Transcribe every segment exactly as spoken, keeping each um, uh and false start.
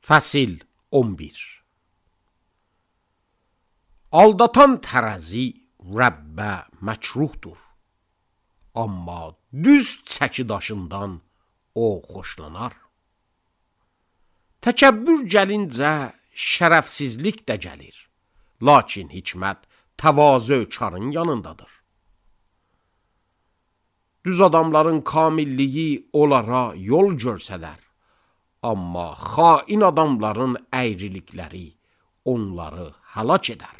Fəsil on bir. Aldatan tərəzi Rəbbə məkruhdur, amma düz çəki daşından o xoşlanar. Təkəbbür gəlincə şərəfsizlik də gəlir, lakin hikmət təvazö karın yanındadır. Düz adamların kamilliyi onlara yol görsələr, amma xain adamların əyrilikləri onları həlak edər.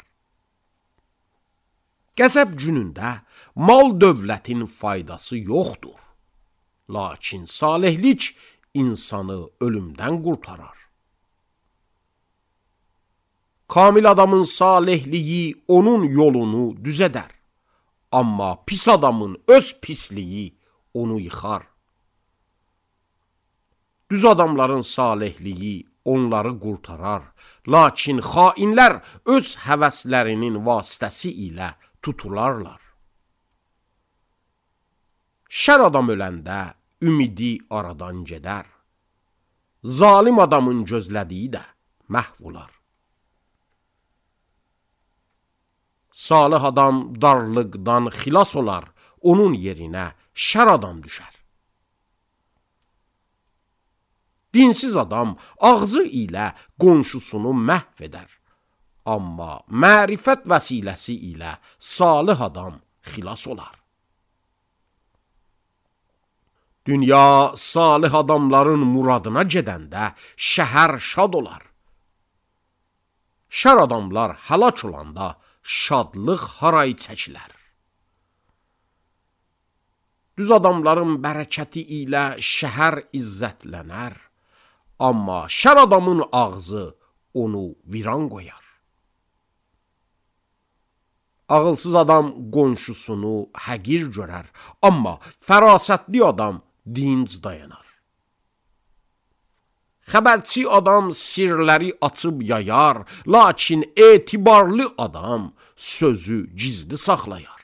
Qəzəb günündə mal dövlətin faydası yoxdur, lakin salihlik insanı ölümdən qurtarar. Kamil adamın salihliyi onun yolunu düzədər, amma pis adamın öz pisliyi onu yıxar. Düz adamların salihliyi onları qurtarar, lakin xainlər öz həvəslərinin vasitəsi ilə tutularlar. Şər adam öləndə ümidi aradan gedər, zalim adamın gözlədiyi də məhv olar. Salih adam darlıqdan xilas olar, onun yerinə şər adam düşər. Dinsiz adam ağzı ilə qonşusunu məhv edər, amma mərifət vəsiləsi ilə salih adam xilas olar. Dünya salih adamların muradına gedəndə şəhər şad olar. Şər adamlar həlak olanda şadlıq haray çəkilər. Düz adamların bərəkəti ilə şəhər izzətlənər, amma şər adamın ağzı onu viran qoyar. Ağılsız adam qonşusunu həqir görər, amma fərasətli adam dinc dayanar. Xəbərçi adam sirləri açıb yayar, lakin etibarlı adam sözü gizli saxlayar.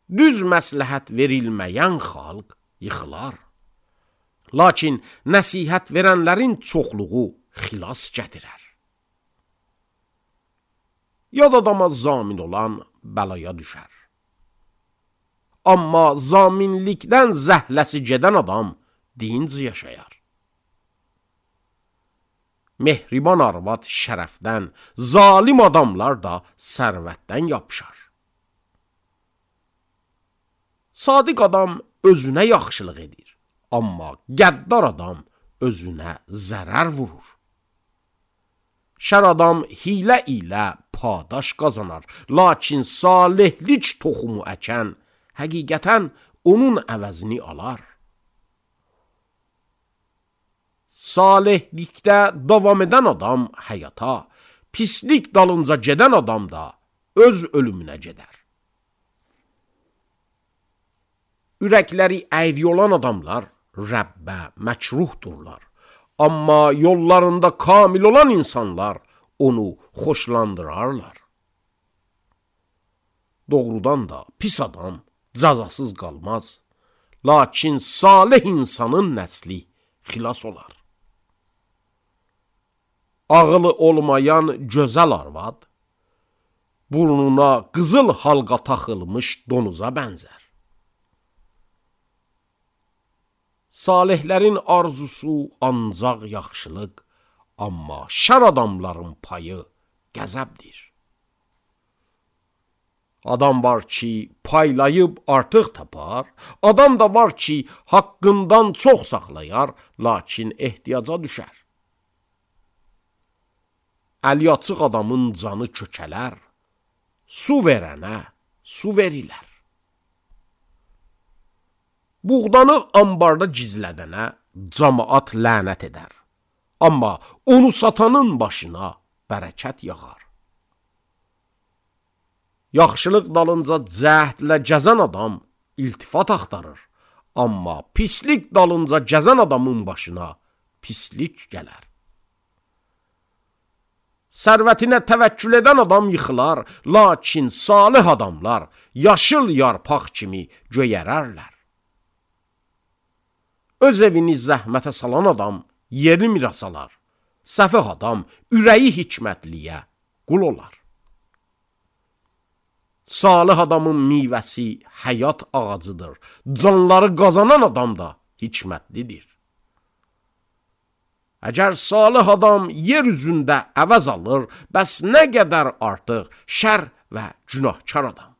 Düz məsləhət verilməyən xalq yıxılar, lakin nəsihət verənlərin çoxluğu xilas gətirər. Yad adama zamin olan bəlaya düşər. Amma zaminlikdən zəhləsi gedən adam dinc yaşayar. Mehriban arvad şərəfdən, zalim adamlar da sərvətdən yapışar. Sadiq adam özünə yaxşılıq edir, amma qəddar adam özünə zərər vurur. Şər adam hilə ilə padaş qazanar, lakin salihlik toxumu əkən həqiqətən onun əvəzini alar. Salihlikdə davam edən adam həyata, pislik dalınca gedən adam da öz ölümünə gedər. Ürəkləri əyri olan adamlar Rəbbə məkruhdurlar, amma yollarında kamil olan insanlar onu xoşlandırarlar. Doğrudan da pis adam cəzasız qalmaz, lakin salih insanın nəsli xilas olar. Ağılı olmayan gözəl arvad, burnuna qızıl halqa taxılmış donuza bənzər. Salihlərin arzusu ancaq yaxşılıq, amma şər adamların payı qəzəbdir. Adam var ki, paylayıb artıq tapar, adam da var ki, haqqından çox saxlayar, lakin ehtiyaca düşər. Əli açıq adamın canı kökələr, su verənə su verilər. Buğdanı ambarda gizlədənə camaat lənət edər, amma onu satanın başına bərəkət yağar. Yaxşılıq dalınca cəhdlə gəzən adam iltifat axtarır, amma pislik dalınca gəzən adamın başına pislik gələr. Sərvətinə təvəkkül edən adam yıxılar, lakin salih adamlar yaşıl yarpaq kimi göyərərlər. Öz evini zəhmətə salan adam yerli miras alar. Səfeh adam ürəyi hikmətliyə qul olar. Salih adamın meyvəsi həyat ağacıdır. Canları qazanan adam da hikmətlidir. Əgər salih adam yer üzündə əvəz alır, bəs nə qədər artıq şər və günahkar adam.